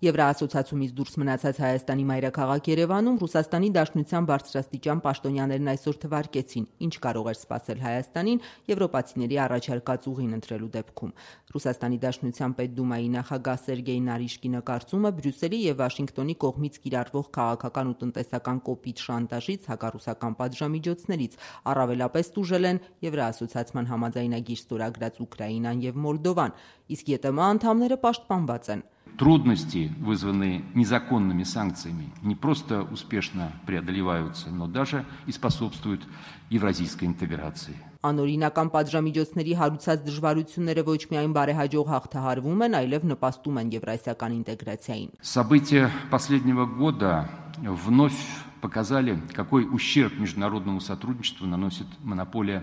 Եվրաասոցիացիումից դուրս մնացած Հայաստանի մայրաքաղաք Երևանում Ռուսաստանի Դաշնության բարձրաստիճան պաշտոնյաներն այսօր թվարկեցին, ինչ կարող էր սպասել Հայաստանին եվրոպացիների առաջարկած ուղին ընտրելու դեպքում։ Ռուսաստանի Դաշնության Պետդումայի նախագահ Սերգեյ Նարիշկինը կարծում է Բրյուսելի եւ Վաշինգտոնի կողմից կիրառվող քաղաքական ու տնտեսական կոպիտ շանտաժից, հակառուսական պատժամիջոցներից առավելապես տուժել են Եվրաասոցիացիան համաձայնագիր ստորագրած Ուկրաինան եւ Մոլդովան, իսկ ԵՏՄ անդամները պաշտպանված են։ Трудности, вызванные незаконными санкциями, не просто успешно преодолеваются, но даже и способствуют евразийской интеграции. Անօրինական պատժամիջոցների հարուցած դժվարությունները ոչ միայն բարեհաջող հաղթահարվում են, այլև նպաստում են եվրասիական ինտեգրացիային։ События последнего года вновь показали, какой ущерб международному сотрудничеству наносит монополия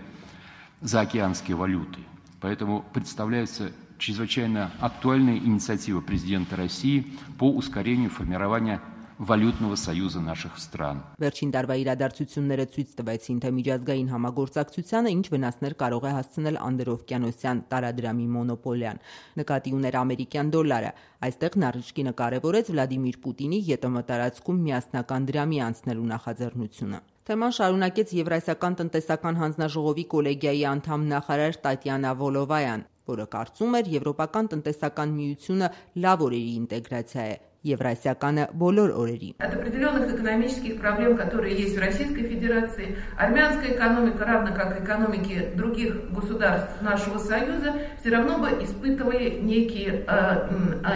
заокеанской валюты. Поэтому представляется чрезвычайно актуальная инициатива президента России по ускорению формирования валютного союза наших стран. Վերջին տարվա իրադարձությունները ցույց տվեցին, թե միջազգային համագործակցությանը ինչ վնասներ կարող է հասցնել անդրօվկիանոսյան տարադրամի մոնոպոլիան։ Նկատի ուներ ամերիկյան դոլարը։ Այստեղ Նարիշկինը կարևորեց Վլադիմիր Պուտինի ԵՏՄ տարածքում միասնական դրամի անցնելու նախաձեռնությունը։ Թեման շարունակեց Եվրասիական տնտեսական հանձնաժողովի կոլեգիայի անդամ նախարար Տատյանա Վոլովայան, որը կարծում էր Եվրոպական տնտեսական միությունը լավ օրերի ինտեգրացիա է, Եվրասիականը բոլոր օրերի։ От определенных экономических проблем, которые есть в Российской Федерации, армянская экономика, равно как экономики других государств нашего Союза, все равно бы испытывали некие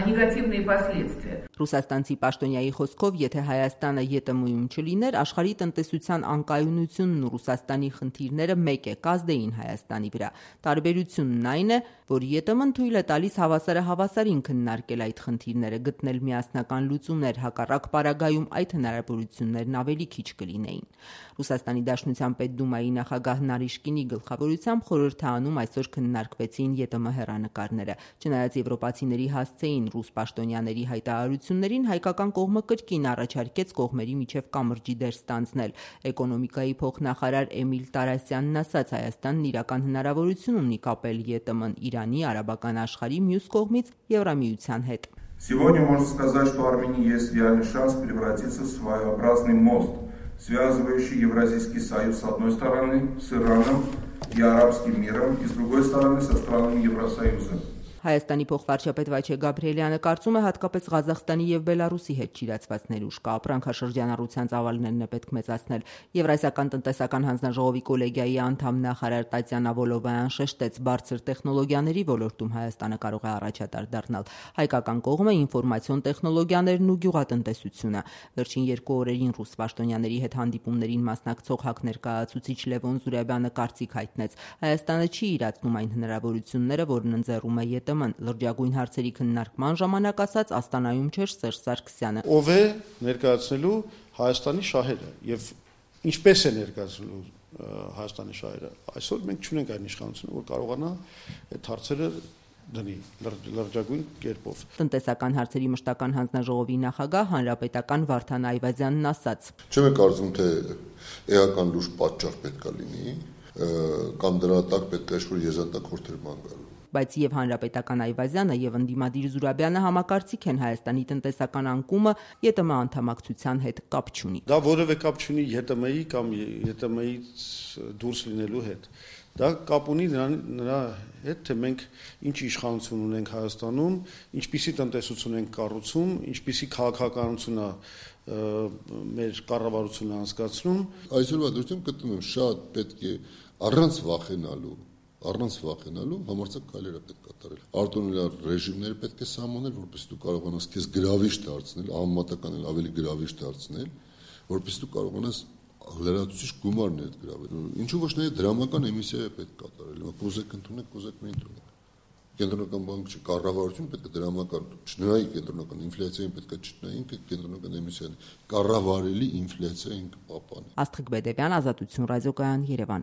негативные последствия. Ռուսաստանցի պաշտոնյայի խոսքով, եթե Հայաստանը ԵՏՄ-ում չլիներ, աշխարհի տնտեսության անկայունությունն ու Ռուսաստանի խնդիրները մեկ է կազդեին Հայաստանի վրա։ Տարբերությունն այն է, որ ԵՏՄ-ն թույլ է տալիս հավասարին քննարկել այդ խնդիրները, գտնել միասնական լուծումներ, հակառակ պարագայում այդ հնարավորություններն ավելի քիչ կլինեին։ Ռուսաստանի Դաշնության Պետդումայի նախագահ Նարիշկինի գլխավորությամբ խորհրդանում այսօր քննարկվեցին ԵՏՄ հեռանկարները։ Չնայած եվրոպացիների հասցեին ռուս պաշտոնյաների հայտարարություններին, հայկական կողմը կրկին առաջարկեց կողմերի միջև կամրջի դեր ստանձնել։ Էկոնոմիկայի փոխնախարար Էմիլ Տարասյանն ասաց, Հայաստանն իրական հնարավորություն ունի կապել ԵՏՄ-ն Իրանի, արաբական աշխարհի մյուս կողմից Եվրամիության հետ։ Сегодня можно сказать, что у Армении есть реальный шанс превратиться в своеобразный мост, связывающий Евразийский союз с одной стороны с Ираном и арабским миром, и с другой стороны со странами Евросоюза. Հայաստանի փոխվարչապետ Վաչե Գաբրիելյանը կարծում է հատկապես Ղազախստանի եւ Բելարուսի հետ ճիրացված ներուժ կա, ապրանքաշրջանառության ծավալներն է պետք մեծացնել։ Եվրասիական տնտեսական հանձնաժողովի կոլեգիայի անդամ նախարար Տատյանա Վոլովայան շեշտեց, բարձր տեխնոլոգիաների ոլորտում Հայաստանը կարող է առաջատար դառնալ։ Հայկական կողմը ինֆորմացիոն տեխնոլոգիաներն ու գյուղատնտեսությունը։ Վերջին 2 օրերին ռուս պաշտոնյաների հետ հանդիպումներին մասնակցող ՀԱԿ ներկայացուցիչ Լևոն Զուրաբյանը կարծիք հայտնեց, Հայաստանը չի իրացնում այն հնարավորությունները, որն ընձեռում է ԵՏՄ-ն, լրջագույն հարցերի քննարկման ժամանակ ասաց Աստանայում չէր Սերժ Սարգսյանը։ Ով է ներկայացնելու Հայաստանի շահերը եւ ինչպես է ներկայացնելու Հայաստանի շահերը։ Այսօր մենք չունենք այն իշխանությունը, որ կարողանա այդ հարցերը դնի լրջագույն կերպով։ Տնտեսական հարցերի մշտական հանձնաժողովի նախագահ հանրապետական Վարդան Այվազյանն ասաց. Չեմ կարծում, թե էական լուրջ պատճառ պետք է լինի, կամ դրա տակ պետք է ինչ-որ եզրատակ խորհուրդ գալու։ Բայց եւ հանրապետական Այվազյանը եւ ընդդիմադիր Զուրաբյանը համակարծիք են Հայաստանի տնտեսական անկումը ԵՏՄ անդամակցության հետ կապ չունի։ Դա որևէ կապ չունի ԵՏՄ-ի կամ ԵՏՄ-ից դուրս լինելու հետ։ Դա կապ ունի նրա հետ, թե մենք ինչ իշխանություն ունենք Հայաստանում, ինչպիսի տնտեսություն ենք կառուցում, ինչպիսի քաղաքականություն է մեր կառավարությունը անցկացնում։ Այսօրվա դրությամբ գտնում եմ շատ պետք է առանց վախենալու համարձակ քայլեր պետք է կատարել։ Արտոնելար ռեժիմները պետք է սահմանել, որպեսզի դու կարողանաս քեզ գրավիչ դարձնել, անմատական ավելի գրավիչ դարձնել, որպեսզի դու կարողանաս լրացուցիչ գումարներ գրավել։ Ինչու ոչ նաև դրամական էմիսիա պետք է կատարել։ Կուզեք ընդունեք, կուզեք մի ընդունեք։ Կենտրոնական բանկը կառավարությունը պետք է դրամական չնայի կենտրոնական ինֆլյացիային պետք է չնայի, ինքը կենտրոնական էմիսիան կառավարելի ինֆլյացիային կպապանի։ Աստղիկ Բեդևյան, Ազատություն ռադիոկայան, Երևան։